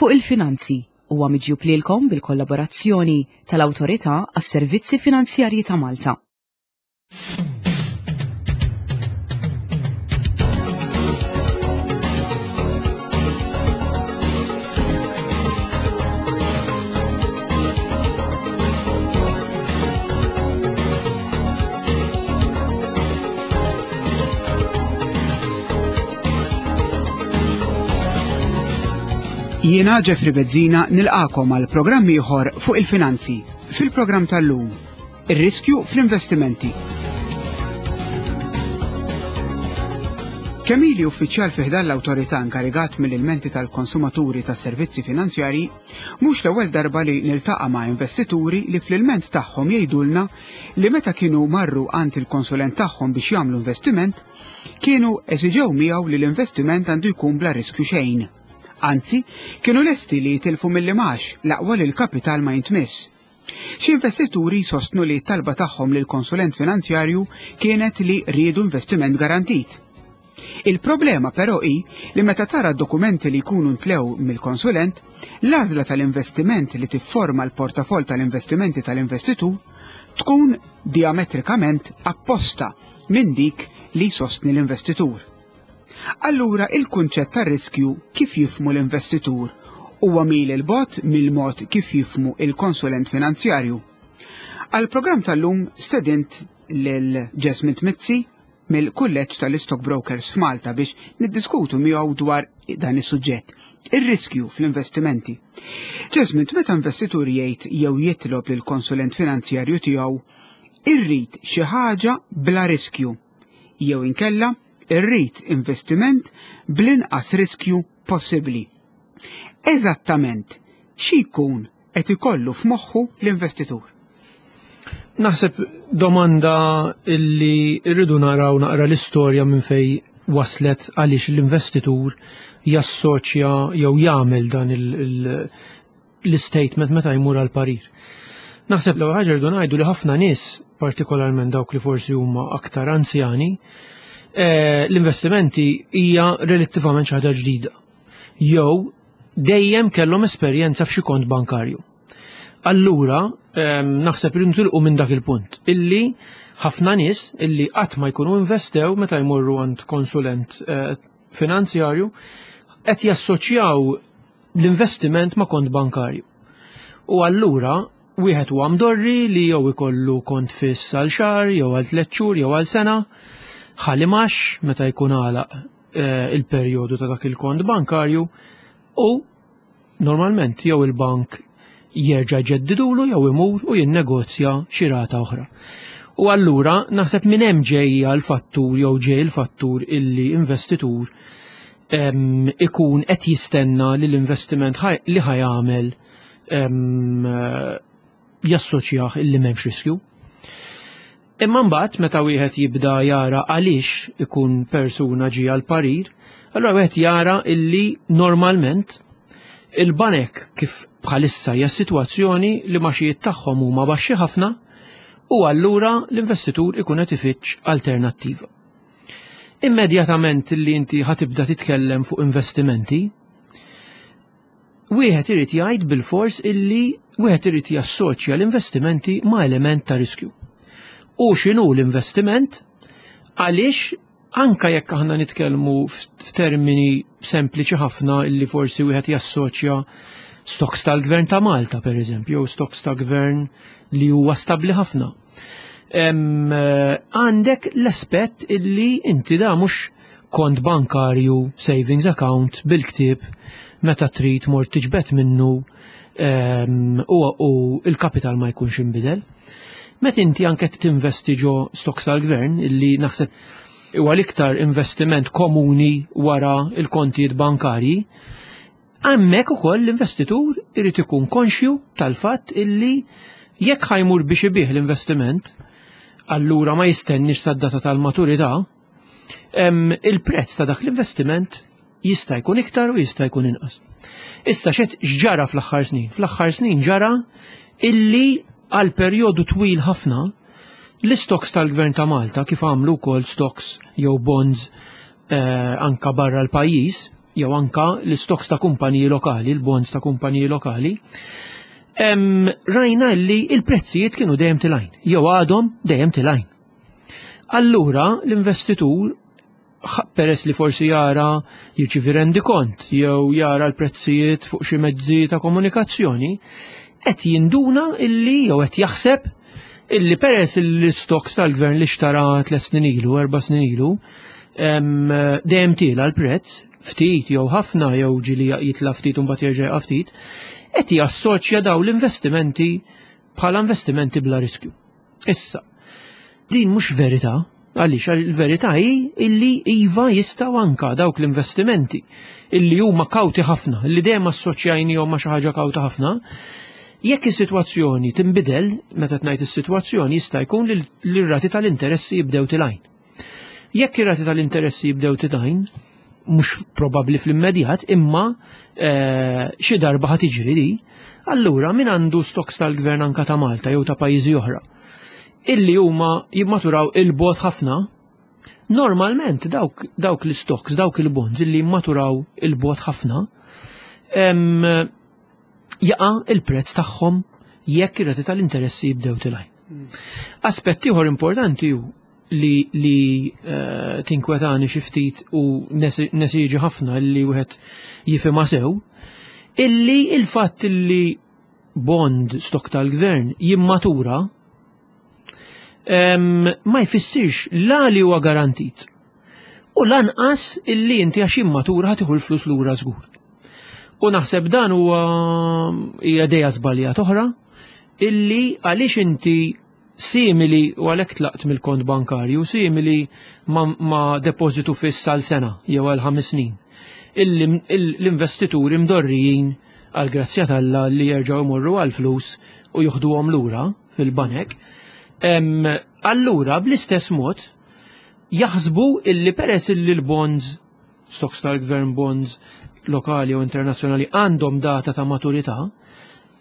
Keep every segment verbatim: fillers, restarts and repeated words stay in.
Fuq il-Finanzi huwa miġjub lilkom bil-kollaborazzjoni tal-Awtorità għas-Servizzi Finanzjarji ta' Malta. Jiena Jeffrey Bezzina nilqakom għal programm ieħor fuq il-finanzi. Fil-programm tal-lum, ir-riskju fl-investimenti. Kemm ili uffiċjal fi ħdan l-awtorità inkarigat mill-ilmenti tal-konsumaturi tas-servizzi finanzjarji, mhux l-ewwel darba li niltaqa' ma' investituri li fl-ilment tagħhom jgħidulna li meta kienu marru għand il-konsulent tagħhom biex jagħmlu investiment, kienu eżiġew miegħu li l-investiment għandu jkun bla riskju xejn. Anzi, kienu lesti li jitilfu mill-imax l-aqwa li l-kapital ma jintmiss. Xi investituri sostnu li t-talba tagħhom lil konsulent finanzjarju kienet li riedu investiment garantit. Il-problema però hi li meta tara d-dokumenti li jkunu ntlew mill-konsulent, l-għażla tal-investiment li tifforma l-portafol tal-investimenti tal-investitur tkun diametrikament apposta minn dik li sostni l-investitur. Allura il-kunċett tar-riskju kif jifmu l-investitur huwa mil il-bot mill-mod kif jifmu il-konsulent finanzjarju. Għal-programm tal-lum stedint lil Jasmine Mizzi mill-Kulleġġ tal-Stockbrokers f'Malta biex niddiskutu miegħu dwar dan is-suġġett, ir-riskju fl-investimenti. Jasmine, meta investitur jgħid jew jitlob lil konsulent finanzjarju tiegħu irrid xi ħaġa bla riskju jew inkella irrid investiment bl-inqas riskju possibbli. Eżattament xi jkun qed ikollu f'moħħu l-investitur? Naħseb domanda illi rridu naraw naqra l-istorja minn fej waslet għaliex l-investitur jassoċja jew jagħmel dan l-statement meta jmur għal parir. Naħseb l-ewwel ħaġa rridu ngħidu li ħafna nies, partikolarment dawk li forsi huma aktar anzjani, l-investimenti hija relattivament xi ħaġa ġdida. Jew dejjem kellhom esperjenza f'xi kont bankarju. Allura, naħseb li nitilqu minn dak il-punt illi ħafna nies illi qatt ma jkunu investew meta jmorru għand konsulent finanzjarju qed jassoċjaw l-investiment ma' kont bankarju. U allura wieħed huwa mdorri li jew ikollu kont fiss għal xahar, jew għal tliet xhur, jew għal sena, ħalli max meta jkun għalaq il-perjodu ta' dak il-kont bankarju u normalment jew il-bank jerġa' jġeddidulu jew imur u jinnegozja xi rata oħra. U allura naħseb minn hemm ġejja l-fattur jew ġej il-fattur illi investitur ikun qed jistenna li l-investiment li ħajamel jassoċjah illi m'hemmx riskju. Imma mbagħad meta wieħed jibda jara għaliex ikun persuna ġie għal parir, allura wieħed jara illi normalment il-banek kif bħalissa hija sitwazzjoni li maxijiet tagħhom huma baxxi ħafna u allura l-investitur ikun qed ifittx alternattiva. Immedjatament li inti ħatibda titkellem fuq investimenti, wieħed irid jgħid bil-fors illi wieħed irid jassoċja l-investimenti ma' element ta' riskju. U x'inhu l-investiment? Għaliex anka jekk aħna nitkellmu f'termini sempliċi ħafna illi forsi wieħed jassoċja stocks tal-Gvern ta' Malta, per eżempju, jew stocks ta' gvern li huwa stabbli ħafna. Għandek l-aspett illi inti da mhux kont bankarju, savings account, bil-ktieb, meta trid mort tiġbed minnu u il-kapital ma jkunx inbidel. Meta inti anke tinvesti ġo stocks tal-gvern, illi naħseb huwa l-iktar investiment komuni wara il-kontijiet bankarji, hemmhekk ukoll l-investitur irid ikun konxju tal-fatt illi jekk ħajmur biex ibih l-investiment, allura ma jistennix sad-data tal-maturità, il-prezz ta' dak l-investiment jista' jkun iktar u jista' jkun inqas. Issa xed x'ġara fl-aħħar snin? Fl-aħħar snin ġara illi għal perjodu twil ħafna l-stocks tal-Gvern ta' Malta kif għamlu wkoll stocks jew bonds eh, anka barra l-pajjiż jew anka l-stocks ta' kumpaniji lokali, l-bonds ta' kumpaniji lokali, em, rajna li il-prezzijiet kienu dejjem telgħin, jew għadhom dejjem telgħin. Allura l-investitur, ħa- peress li forsi jara, jirċivi rendikont jew jara l-prezzijiet fuq xi mezzi ta' komunikazzjoni, qed jinduna illi jew qed jaħseb illi peress l-stocks tal-gvern li xtara tliet snin ilu, erba' snin ilu, em, dejjem tiela l-prezz, ftit jew ħafna, jew ġieli jitla ftit u mbagħad jerġa' jaqa' ftit, qed jassoċja daw l-investimenti bħala investimenti bla riskju. Issa, din mhux verità, għaliex il-verità hi illi iva, jistgħu anka dawk l-investimenti illi huma kawti ħafna, illi dejjem assoċjajnihom ma' xi ħaġa kawta ħafna, jekk is-sitwazzjoni tinbidel, meta tgħid is-sitwazzjoni, jista' jkun li l-rati tal-interessi jibdew telgħin. Jekk ir-rati tal-interessi jibdew telgħin, mhux probabbli fl-immedjat, imma eh, xi darba ħa tiġri di, allura min għandu stocks tal-gvern, anka ta' Malta jew ta' pajjiżi oħra, illi huma jimmaturaw 'il bogħod ħafna, normalment dawk, dawk l-stocks, dawk il-bonds illi jimmaturaw 'il bogħod ħafna, em, jaqa' il-prezz tagħhom jekk ir-rati tal-interessi jibdew telgħin. Aspett ieħor importanti hu li, li uh, tinkwetani xi ftit u nesiġi ħafna li wieħed jifhimha sew, illi il-fatt illi bond, stock tal-gvern jimmatura em, ma jfissirx la li huwa garantit u lanqas illi inti għax jimmatura ħa tieħu l-flus lura żgur. U naħseb dan huwa hija idea żbaljat oħra, illi għaliex inti simili, u għalhekk tlaqt mill-kont bankarju, simili ma, ma depożitu fiss għal sena jew għal ħames snin. Illi l-investituri mdorrijin, għal grazzja t'Alla, li jerġgħu jmorru għal flus u joħduhom lura fil-banek. Em, Allura bl-istess mod jaħsbu illi peress illi l-bonds, stocks tal-gvern, bonds lokali u internazzjonali, għandhom data ta' maturità,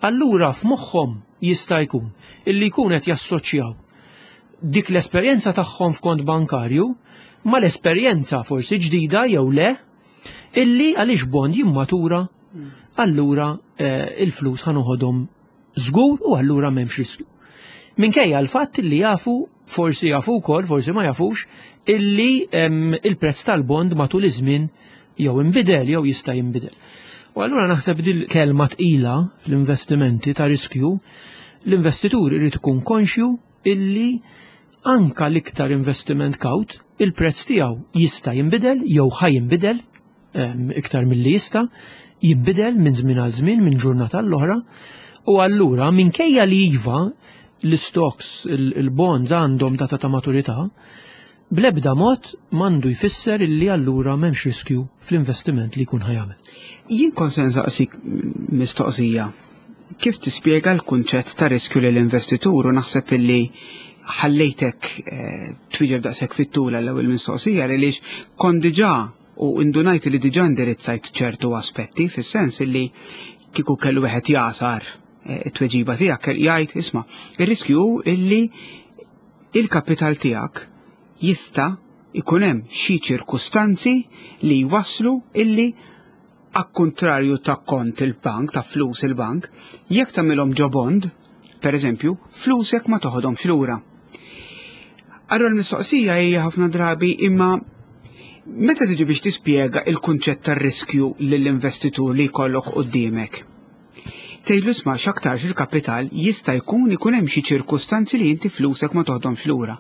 allura f'moħħhom jista' jkun illi jkun qed jassoċjaw dik l-esperjenza tagħhom f'kont bankarju ma l-esperjenza forsi ġdida jew le, illi għaliex bond jimmatura, allura eh, il-flus ħa noħodhom żgur u allura m'hemmx riskju. Minkejja l-fatt li jafu, forsi jafu wkoll, forsi ma jafux, illi em, il-prezz tal-bond matul iż-żmien jew inbidel jew jista' jinbidel. U allura naħseb dil kelma tqila fl-investimenti ta' riskju, l-investitur irid ikun konxju illi anka l-iktar investiment kawt, il-prezz tiegħu jista' jinbidel jew ħa jinbidel em, iktar milli jista' jinbidel minn żmien għal żmien, minn ġurnata l-oħra, u allura minkejja li iva l-stocks, il-bonds għandhom data ta' maturità, bl-ebda mod m'għandu jfisser illi allura m'hemmx riskju fl-investiment li jkun ħa jagħmel. Jien kont se nsaqsik mistoqsija. Kif tispjega l-kunċett ta' riskju lill investitur u naħseb illi ħallejtek eh, twieġeb daqshekk fit-tul l-ewwel mistoqsija għaliex kont diġà u indunajt li diġà indirizzajt ċertu aspetti, fis-sens illi kieku kellu wieħed jagħsar eh, it-tweġiba tiegħek jgħid, isma', ir-riskju illi il-kapital tiegħek jista' ikun hemm xi ċirkustanzi li jwaslu illi, għal-kontrarju ta' kont il-bank, ta' flus il-bank, jekk tagħmilhom ġo bond, per eżempju, flusek ma toħodhomx lura. Allura l-mistoqsija hija ħafna drabi, imma meta tiġi biex tispjega il-kunċett tar-riskju lill-investitur li jkollok quddiemek, tgħidlu, isma', x'aktarx il-kapital jista' jkun ikun hemm xi ċirkustanzi li inti flusek ma toħdomx lura.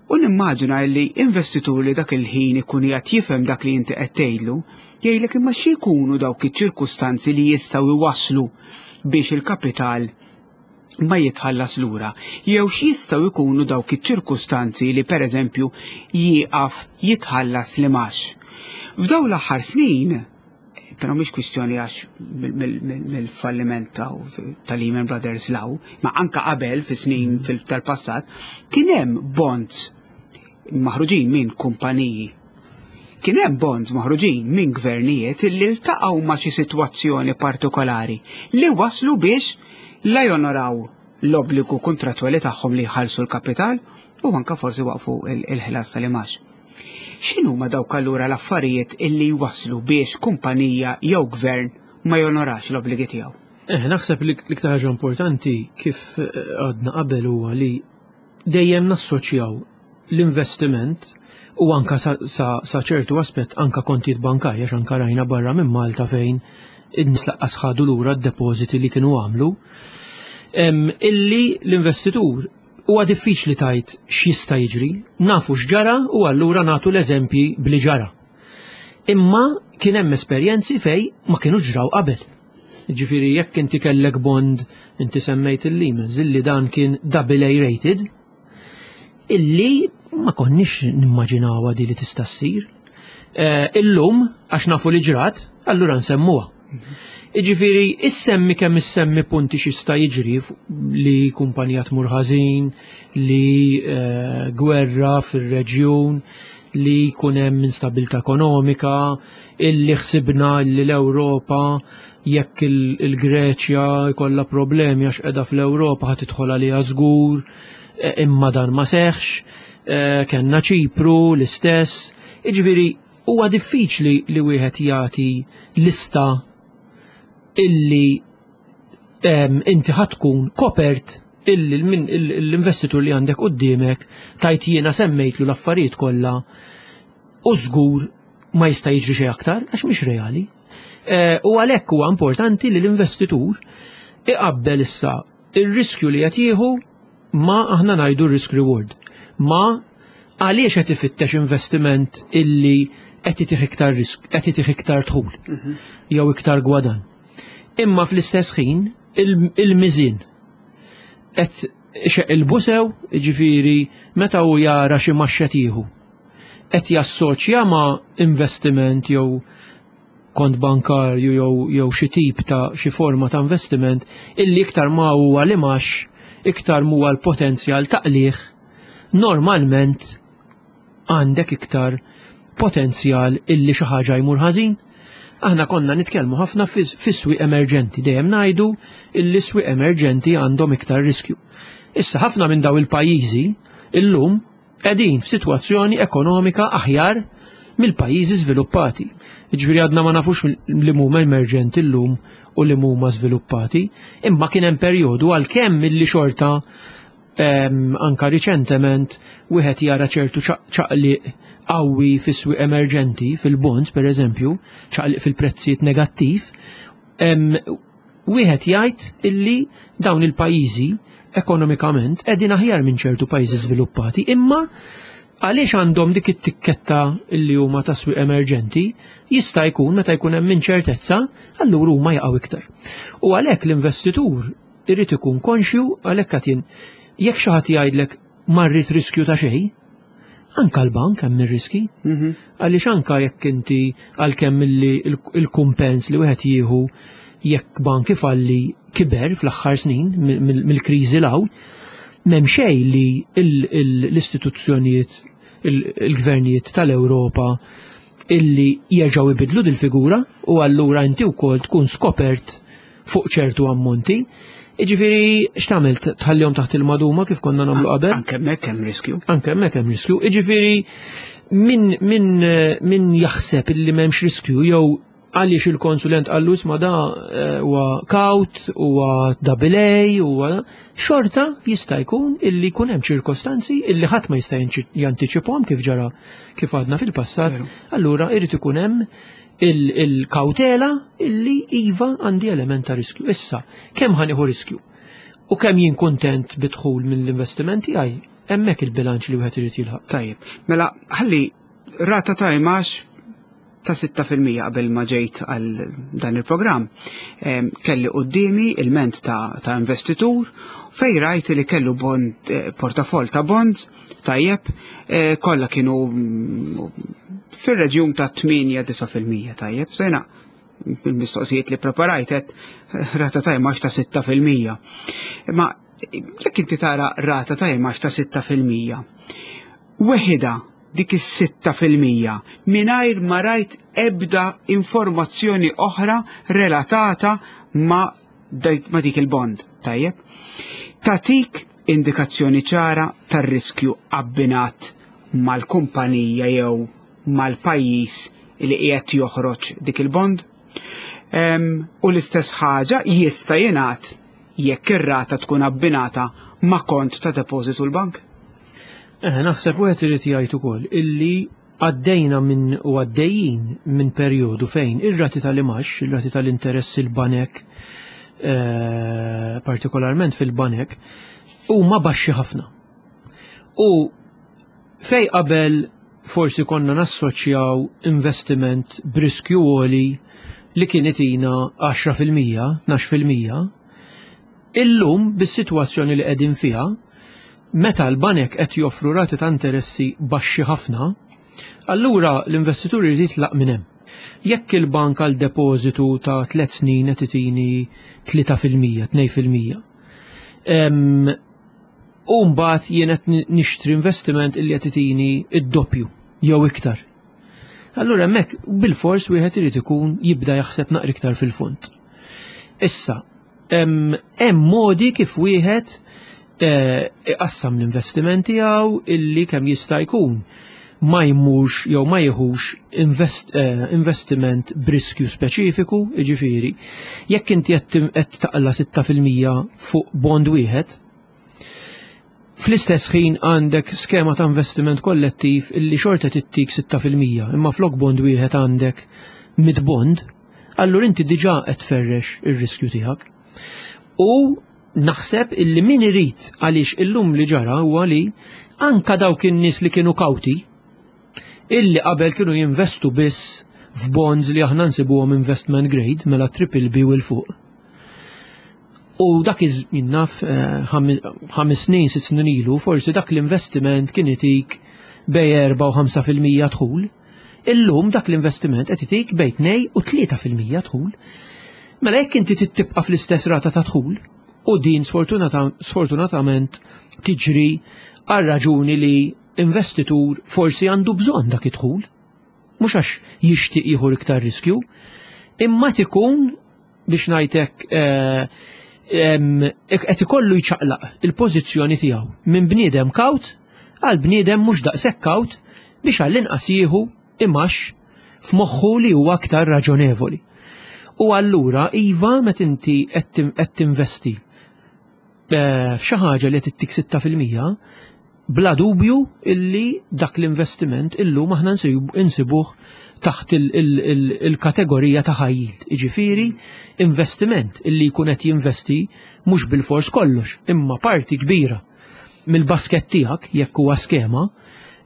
U nimmaġina li investitur li dak il-ħin ikun qiegħed jifhem dak li inti qed tgħidlu, jgħidlek, imma xi jkunu dawk iċ-ċirkustanzi li jistgħu jwasslu biex il-kapital ma jitħallas lura? Jew x'jistgħu jkunu dawk iċ-ċirkustanzi li, pereżempju, jieqaf jitħallas l-imgħax? F'dawn l-aħħar snin, però mhix kwistjoni għax mill-falliment ta' Lehman Brothers 'l hawn, ma anka qabel, fi snin tal-passat, kien hemm bonds maħruġin minn kumpaniji. Kien hemm bonds maħruġin minn gvernijiet li ltaqgħu ma' xi sitwazzjoni partikolari li waslu biex la jonoraw l-obbligu kontrattwali tagħhom li jħallsu l-kapital u anka forsi waqfu il-ħlas tal-imgħax. X'inhuma dawk allura l-affarijiet illi jwasslu biex kumpanija jew gvern ma jonorax l-obbligi tiegħu? Eh, naħseb li l-iktar ħaġa importanti, kif eh, għadna qabel, huwa li dejjem nassoċjaw l-investiment u anka sa, sa, sa ċertu aspett anka kontijiet bankarja, għax anka rajna barra minn Malta fejn in-nies lanqas ħadu lura d-depożiti li kienu għamlu. Em, illi l-investitur huwa diffiċli tgħid x'jista' jiġri, nafu x'ġara u allura nagħtu l-eżempji bli ġara. Imma kien hemm esperjenzi fej ma kienu ġraw qabel. Ġifieri jekk inti kellek bond, inti semmejt il-Lehman, illi dan kien double A rated, illi ma konniex nimmaġinawha di li tista' ssir. Eh, Illum, għax nafu li ġrat, allura nsemmuha. Iġifieri, issemmi kemm issemmi punti x'jista' jiġri fu- li kumpanija tmur ħażin, li eh, gwerra fir-reġjun, li jkun hemm instabilità ekonomika, illi ħsibna li l-Ewropa, jekk il- il-Greċja jkollha problemi għax qiegħda fl-Ewropa, ħa tidħol għaliha żgur, eh, imma dan ma seħx, eh, kellna Ċipru l-istess. Iġifieri huwa diffiċli li wieħed jagħti lista illi em, inti ħa tkun kopert illi l-min- l-investitur li għandek quddiemek tgħid jiena semmejtlu l-affarijiet kollha u żgur ma jista' jiġri xejn aktar, għax mhix reali. Eh, U għalhekk huwa importanti li l-investitur iqabbel issa ir-riskju li qed jieħu ma, aħna ngħidu, risk reward. Ma għaliex qed ifittex investiment illi qed itih iktar risk, qed itih iktar dħul jew iktar gwadan. Imma fl-istess ħin il- il-miżin qed xeqilbu sew, ġifieri meta hu jara xi maxxet jieħu, qed jassoċja ma' investiment jew kont bankarju jew jew xi tip ta' xi forma ta' investiment illi iktar ma huwa li max iktar huwa l-potenzjal ta' qligħ, normalment għandek iktar potenzjal illi xi ħaġa jmur ħażin. Aħna konna nitkellmu ħafna fis-swieq emerġenti, dejjem ngħidu illi swieq emerġenti għandhom iktar riskju. Issa ħafna minn daw il-pajjiżi illum qegħdin f'sitwazzjoni ekonomika aħjar mill-pajjiżi żviluppati. Ġifieri għadna ma nafux li huma emerġenti llum u li huma żviluppati, imma kien hemm perjodu, għalkemm milli xorta em, anka riċentement wieħed jara ċertu ċaqliq qawwi fis-swieq emerġenti, fil-bonds per eżempju, ċaqliq fil-prezzijiet negattiv, em, wieħed jgħid illi dawn il-pajjiżi ekonomikament qegħdin aħjar minn ċertu pajjiżi żviluppati, imma għaliex għandhom dik it-tikketta illi huma ta' swieq emerġenti, jista' jkun meta jkun hemm inċertezza, allura huma jaqgħu iktar. U għalhekk l-investitur irid ikun konxju. Għalhekk qed jien, jekk xi ħadd jgħidlek ma rrid riskju ta' xejn, anka l-bank hemm ir-riski. Għaliex anka jekk inti, għalkemm illi il-kumpens li wieħed jieħu jekk bank ifalli kiber fl-aħħar snin mill-kriżi 'l hawn, m'hemm xejn li l-istituzzjonijiet, il-gvernijiet tal-Ewropa illi jerġgħu ibidlu dil-figura u allura inti wkoll tkun skopert fuq ċertu ammonti. Iġifieri x'tagħmel, tħallihom taħt il-maduma kif konna nagħmlu qabel? Anke hemmhekk hemm riskju. Anke hemmhekk hemm riskju. Iġifieri min min min jaħseb illi m'hemmx riskju jew għaliex il-konsulent qallu ma da eh, huwa kawt, huwa double A, huwa xorta jista' jkun illi jkun hemm ċirkostanzi illi ħadd ma jista' jantiċipahom, kif ġara, kif għadna fil-passat, allura irid ikun hemm il-kautela illi iva, għandi element ta' riskju. Issa, kemm ħa nieħu riskju? U kemm jien kontent bidħul mill-investimenti għaj, hemmhekk il-bilanċ li wieħed irid jilħaq. Tajjeb, mela ħalli rata ta' imax ta' sitta fil-mija. Qabel ma ġejt għal dan il-programm, kelli qoddimi ilment ta', ta investitur fej rajt li kellu bond, eh, portafol ta' bonds, tajjeb, eh, kollha kienu mm, fil-reġjun ta' tmienja-disa' fil-mija, tajjeb, sejna il-mistoqsijiet li preparajt eh, rata ta' imax ta' sitta fil-mija. Ma jekk inti tara rata ta' imax ta' sitta fil-mija, weħida dik is-sitta fil-mija mingħajr ma rajt ebda informazzjoni oħra relatata ma, ma dik il-bond, tajjeb? Tatik indikazzjoni ċara tar-riskju abbinat mal-kumpanija jew mal-pajjiż li qiegħed joħroġ dik il-bond. U l-istess ħaġa jista' jingħad jekk ir-rata tkun abbinata ma' kont ta' depożitu l-bank. Eh, naħseb wieħed irid jgħid ukoll illi għaddejna minn u għaddejjin minn perjodu fejn ir-rati tal-imax, ir-rati tal-interess il-banek, eh, partikolarment fil-banek, huma baxxi ħafna. U fej qabel forsi konna nassoċjaw investiment b'riskju għoli li kien itina għaxra fil-mija, tnax fil-mija, illum bis-sitwazzjoni li qegħdin fiha, meta l-banek qed joffru rati ta' interessi baxxi ħafna, allura l-investitur irid jitlaq minn hemm. Jekk il-bank għal depożitu ta' tliet snin qed itini tlieta fil-mija, tnejn fil-mija, em, u mbagħad jien qed nixtri investiment illi qed itini id-doppju jew iktar. Allura hemmhekk bil-fors wieħed irid ikun jibda jaħseb naqra iktar fil-fond. Issa, hemm modi kif wieħed, eh, iqassam l-investiment tiegħu illi kemm jista' jkun ma jmurx jew ma jieħux invest, eh, investiment b'riskju speċifiku, jiġifieri, jekk inti qed qed taqla sitta fil-mija fuq bond wieħed, fl-istess ħin għandek skema ta' investiment kollettiv illi xorta tittik sitta fil-mija, imma flok bond wieħed għandek mid bond, allura inti diġà qed tferrex ir-riskju tiegħek. U naħseb illi min irid, għaliex illum li ġara huwa li anka dawk in-nies li kienu kawti, illi qabel kienu jinvestu biss f'bonds li aħna nsibuhom investment grade, mela triple B u l-fuq. U dak iż jinnaf, eh, ħames snin, sitt snin ilu, forsi dak l-investiment kien itik bej erba' u ħamsa fil-mija dħul. Illum dak l-investiment qed itik bej tnejn u tlieta fil-mija dħul. Mela jekk inti tibqa' fl-istess rata ta' dħul, u din sfortunata-, sfortunatament tiġri għal raġuni li investitur forsi għandu bżonn dak id-dħul, mhux għax jixtieq jieħu iktar riskju, imma tikun biex ngħidlek, eh, em, qed ikollu jċaqlaq il-pożizzjoni tiegħu minn bniedem kawt għal bniedem mhux daqshekk kawt biex għall-inqas jieħu imax f'moħħu li huwa aktar raġonevoli. U allura iva meta inti qed tinvesti, eh, f'xi ħaġa li qed ittik sitta fil-mija, bla dubju illi dak l-investiment illum aħna nsib-, insibuh taħt il-, il-, il-, il-kategorija ta' high yield. Jiġifieri investiment illi jkun qed jinvesti mhux bil-fors kollox, imma parti kbira mill-basket tiegħek jekk huwa skema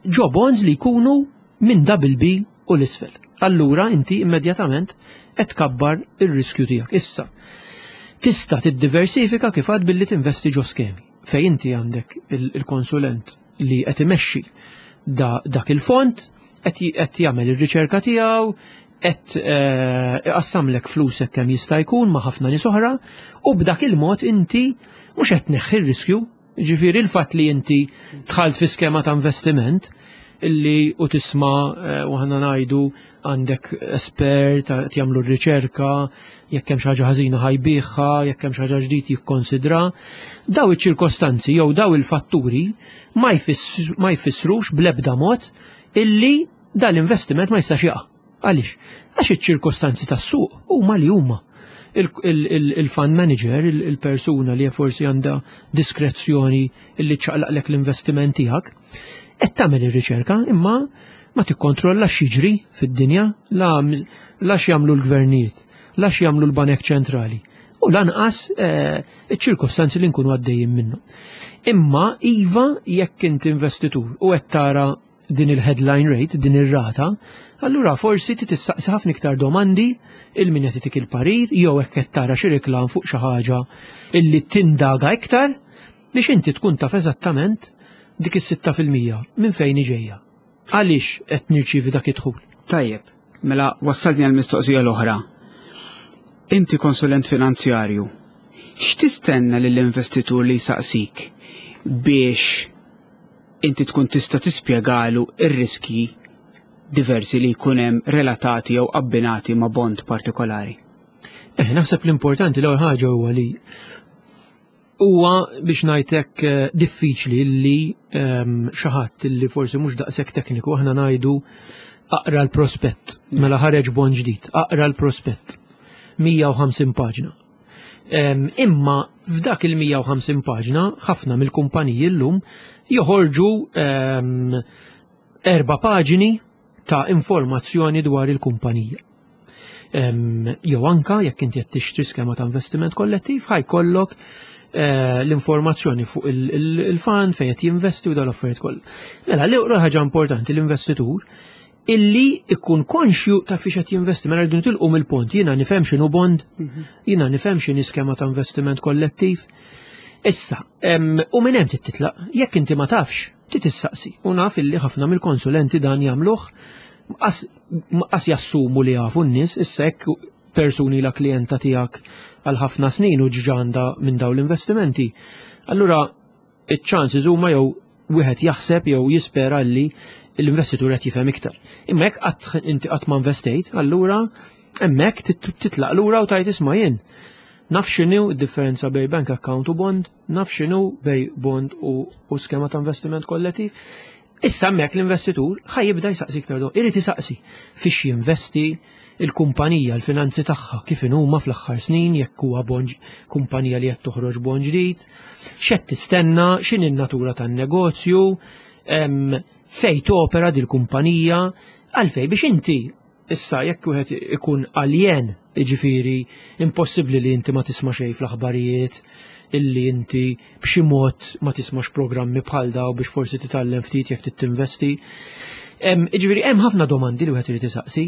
ġo bonds li jkunu minn double B u l-isfel. Allura inti immedjatament qed tkabbar ir-riskju tiegħek. Issa, tista' tiddiversifika kif għad billi tinvesti ġo skemi fej inti għandek il-, il-konsulent li qed imexxi da-, dak il-fond, qed j-, qed jagħmel ir-riċerka tiegħu, qed, eh, iqassamlek flusek kemm jista' jkun ma' ħafna nies oħra, u b'dak il-mod inti mhux qed tneħħi r-riskju. Ġifieri il-fatt li inti dħalt fi skema ta' investiment illi u tisma', eh, u ħana ngħidu għandek espert qed jagħmlu r-riċerka, jekk hemm xi ħaġa ħażina ħajbiħha, jekk hemm xi ħaġa ġdid jikkonsidra, daw iċ-ċirkostanzi jew daw il-fatturi ma jfiss-, ma jfissrux bl-ebda mod illi dal-investiment ma jistax jaqa'. Għaliex? Għax iċ-ċirkostanzi tas-suq huma li huma. Il-, il-, il-, il-fund manager, il-, il-persuna li forsi għandha diskrezzjoni illi ċaqlaqlek l-investiment tiegħek, qed tagħmel ir-riċerka imma ma tikkontrolla x'jiġri fid-dinja, la, la x'jagħmlu l-gvernijiet, la x'jagħmlu l-banek ċentrali, u lanqas, eh, iċ-ċirkostanzi li nkunu għaddejjin minnu. Imma iva jekk inti investitur u qed tara din il-headline rate, din ir-rata, allura forsi ti tistaqsi ħafna iktar domandi il min qed itik il-parir jew hekk qed tara xi reklam fuq xi ħaġa illi tindaga iktar biex inti tkun taf eżattament dik is-sitta fil-mija minn fejn ġejja. Għaliex qed nirċievi dak id-dħul? Tajjeb, mela wassalni għall-mistoqsija l-oħra. Inti konsulent finanzjarju, x'tistenna lill-investitur li jsaqsik biex inti tkun tista' tispjegalu ir-riski diversi li jkun hemm relatati jew abbinati ma' bond partikolari? Eh, naħseb l-importanti l-ewwel ħaġa huwa li Huwa biex ngħidlek eh, diffiċli li ehm, xi ħadd li forsi mhux daqshekk tekniku, aħna ngħidu aqra l-prospett, mela ħareġ bond ġdid, aqra l-prospett. mija u ħamsin paġna. Em, Imma f'dak il-mija u ħamsin paġna ħafna mill-kumpaniji llum joħorġu em, erba' paġni ta' informazzjoni dwar il-kumpanija. Em, Jew anka jekk inti qed tixtri skema ta' investiment kollettiv, ħa jkollok eh, l-informazzjoni fuq il- il- il-fund fejn qed jinvesti u dal-affarijiet kollha. Mela l ħaġa importanti, l-investitur illi ikun konxju ta' fiex qed jinvesti. Mela rridu nitilqu mill-punt, jiena nifhem x'inhu bond, jiena nifhem x'inhi skema ta' investiment kollettiv. Issa, em, u minn hemm titlaq, jekk inti ma tafx, tistaqsi. U naf illi ħafna mill-konsulenti dan jagħmluh qas qas jassumu li jafu n-nies. Issa jekk persuni la klijenta tiegħek għal ħafna snin u ġġanda minn dawn l-investimenti, allura iċ-chances huma jew wieħed jaħseb jew jispera li l-investitur qed jifhem iktar. Imma jekk qatt inti qatt ma investejt, allura hemmhekk tit- titlaq lura u tgħid, "Isma', jien naf x'inhu d-differenza bejn bank account u bond, naf x'inhu bejn bond u, u skema ta' investiment kollettiv." Issa hemmhekk l-investitur ħa jibda jsaqsi iktar do, irid isaqsi fiex jinvesti, il-kumpanija, l-finanzi tagħha kif huma fl-aħħar snin, jekk huwa bond, kumpanija li qed toħroġ bond ġdid, x'qed tistenna, x'inhi n-natura tan-negozju, em, fej topera dil-kumpanija, għalfej biex inti issa jekk wieħed ikun aljen, jiġifieri impossibbli li inti ma tisma' xejn fl-aħbarijiet, illi inti b'xi mod ma tismax programmi bħal daw biex forsi titgħallem ftit jekk tinvesti. Jiġifieri hemm ħafna domandi li wieħed irid isaqsi.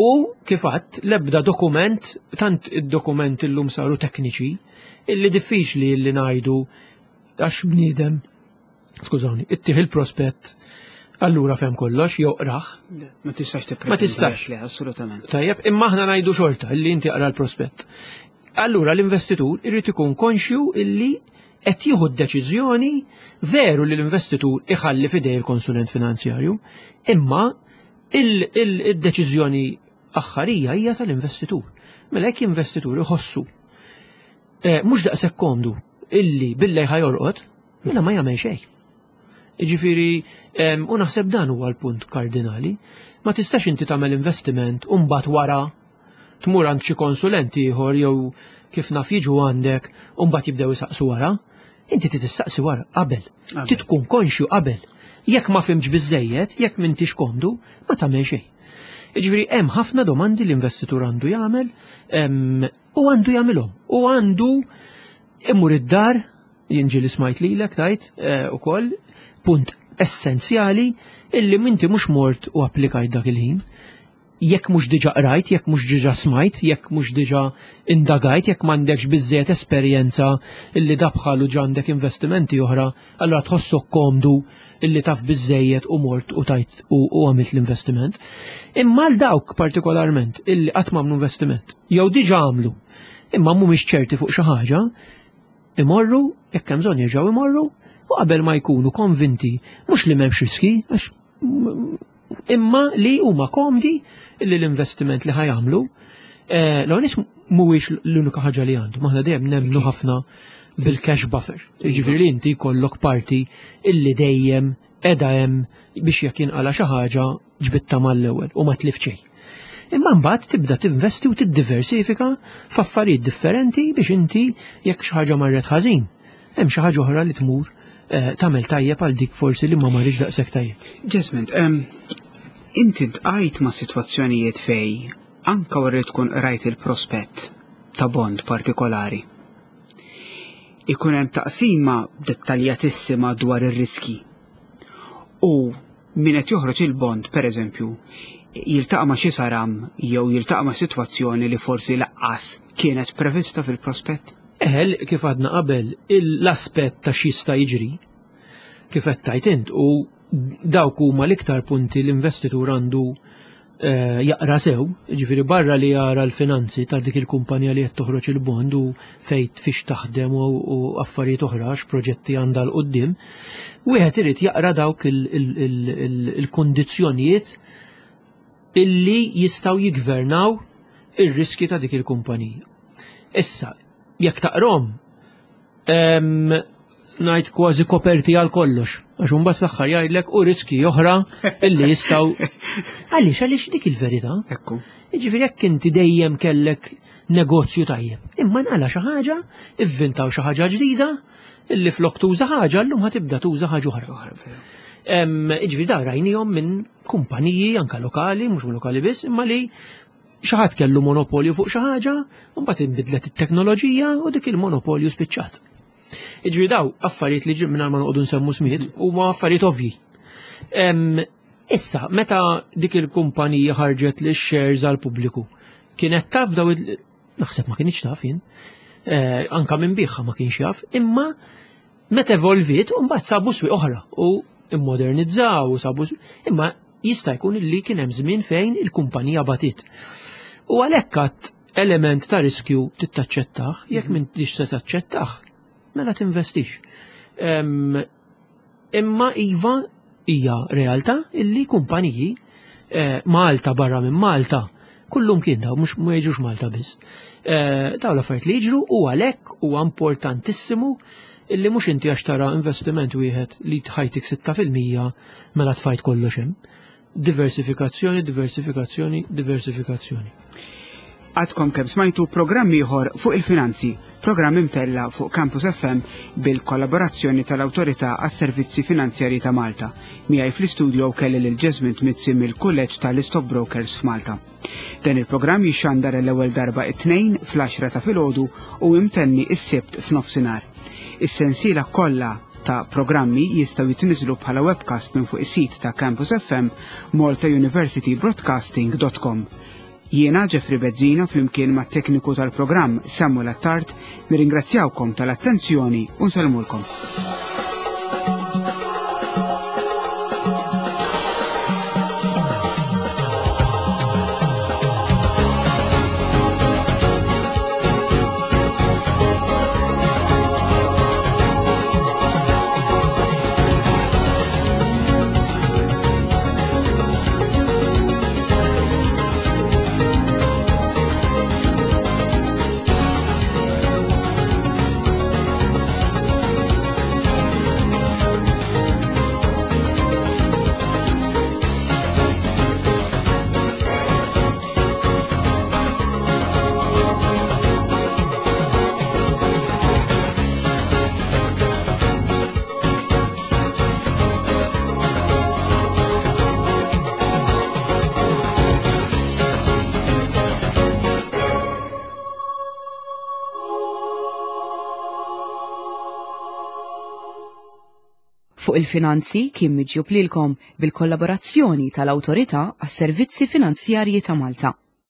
U kif għedt, l-ebda dokument, tant id-dokument illum saru tekniċi, illi diffiċli illi ngħidu għax bniedem, skużawni, ittih il-prospett, allura fehem kollox, jew qrah. Ma tistax Ma tistax. Le, assolutament. Tajjeb, imma aħna ngħidu xorta illi inti aqra l-prospett. Allura l-investitur irid ikun konxju illi qed jieħu d-deċiżjoni. Veru li l-investitur iħalli f'idej il-konsulent finanzjarju, imma il-deċiżjoni aħħarija hija tal-investitur. Mela jekk investitur iħossu eh, mhux daqshekk komdu illi billejl ħa jorqod, mela ma jagħmel xejn. Jiġifieri, u naħseb dan huwa l-punt kardinali, ma tistax inti tagħmel investiment u mbagħad wara tmur għand xi konsulenti ieħor jew kif naf jiġu għandek u mbagħad jibdew isaqsu wara. Inti tistaqsi wara qabel. Trid tkun konxju qabel. Jekk ma fhimtx biżejjed, jekk m'intix komdu, ma tagħmel xejn. Jiġifieri hemm ħafna domandi l-investitur għandu jagħmel u għandu jagħmilhom. U għandu imur id-dar, jien ġieli smajt lilek tgħid eh, ukoll punt essenzjali illi minti mhux mort u applikajt dak il-ħin. Jekk mhux diġà qrajt, jekk mhux diġà smajt, jekk mhux diġà indagajt, jekk m'għandekx biżejjed esperjenza illi dabħalu ġa għandek investimenti oħra, allura tħossok komdu illi taf biżejjed u mort u tajt u għamilt l-investiment. Imma l dawk partikolarment illi qatt m'għamlu investiment, jew diġà għamlu, imma mhumiex ċerti fuq xi ħaġa, imorru, jekk hemm bżonn jerġgħu imorru, u qabel ma jkunu konvinti, mhux li m'hemmx riski, għax imma li huma komdi li l-investiment li ħa jagħmlu, eh, l mhuwiex l-unika ħaġa li għandu. Aħna dejjem nemmnu ħafna bil-cash buffer. Jiġifieri li inti jkollok parti illi dejjem qiegħda hemm biex jekk jinqala xi ħaġa ġbidtha mal-ewwel u ma tlift xejn. Imma mbagħad tibda tinvesti u tiddiversifika f'affarijiet differenti biex inti jekk xi ħaġa marret ħażin, hemm xi ħaġa oħra li tmur eh, tagħmel tajjeb għal dik forsi li ma marritx daqshekk tajjeb. Jesmond, inti ltqajt ma' sitwazzjonijiet fej anka wara li tkun rajt il-prospett ta' bond partikolari, ikun hemm taqsima dettaljatissima dwar ir-riski. U min qed joħroġ il-bond, pereżempju, jiltaqa' ma' xi saram jew jiltaqa' ma' sitwazzjoni li forsi lanqas kienet prevista fil-prospett? Eħe, kif għedna qabel, l-aspett ta' x'jista' jiġri, kif qed tgħid int, u dawk huma l-iktar punti l-investitur għandu eh, jaqra sew, ġifieri barra li jara l-finanzi ta' dik il-kumpanija li qed toħroġ il-bond u fejn fiex taħdem u u affarijiet oħra, proġetti għandha 'l quddiem, wieħed irid jaqra dawk il-kundizzjonijiet illi jistgħu jigvernaw ir-riski ta' dik il-kumpanija. Issa, jekk taqrahom, Ngħid kważi koperti għal kollox. Għax imbagħad fl-aħħar jgħidlek u riski oħra illi jistgħu. Għaliex għaliex dik il-verità. Ekku. Jiġifieri jekk inti dejjem kellek negozju tajjeb. Imma nqala xi ħaġa, ivvintaw xi ħaġa ġdida, illi flok tuża ħaġa llum ħa tibda tuża ħaġa oħra. Jiġifieri da rajnihom minn kumpaniji anka lokali, mhux lokali biss, imma li xi ħadd kellu monopolju fuq xi ħaġa, u mbagħad inbidlet it-teknoloġija u dik il-monopolju spiċċat. Jiġifieri daw affarijiet li ġim mingħajr ma noqogħdu nsemmu smijiet huma affarijiet ovvji. Issa, meta dik il-kumpanija ħarġet li shares għal pubbliku, kienet taf daw naħseb ma kienx taf jien, anka minn biħa ma kienx jaf, imma meta evolviet u mbagħad sabu swieq oħra u immodernizzaw u sabu imma jista' jkun li kien hemm żmien fejn il-kumpanija batit. U għalhekk għad element ta' riskju tittaċċettah, jekk m'intix se taċċettah, mela tinvestix. Imma iva hija realtà illi kumpaniji Malta barra minn Malta kullum kien daw, mhux ma jiġux Malta biss. Daw l-affarijiet li jiġru u għalhekk huwa importantissimu illi mhux inti għax tara investiment wieħed li tħajtik sitta fil-mija mela tfajt kollox hemm. Diversifikazzjoni, diversifikazzjoni, diversifikazzjoni. Għadkom kemm smajtu programm ieħor fuq il-finanzi, programm imtella fuq Campus F M bil-kollaborazzjoni tal-Awtorità għas-Servizzi Finanzjarji ta' Malta. Miegħi fl-istudio kelli lil Jesmond Mizzi mill-Kulleġġ tal-Stockbrokers f'Malta. Dan il-programm jixxandar l-ewwel darba it-tnejn fl-għaxra ta' filgħodu u imtenni s-Sibt f'nofsinhar. Is-sensiela kollha ta' programmi jistgħu jitniżlu bħala webcast minn fuq is-sit ta' Campus F M Malta University Broadcasting dot com. Jiena Jeffrey Bezzina flimkien mat tekniku tal-programm Samuel Attard nirringrazzjawkom tal-attenzjoni u nsellmulkom. Fuq il-finanzi kien miġjub lilkom bil-kollaborazzjoni tal-Awtorità għas-Servizzi Finanzjarji ta' Malta.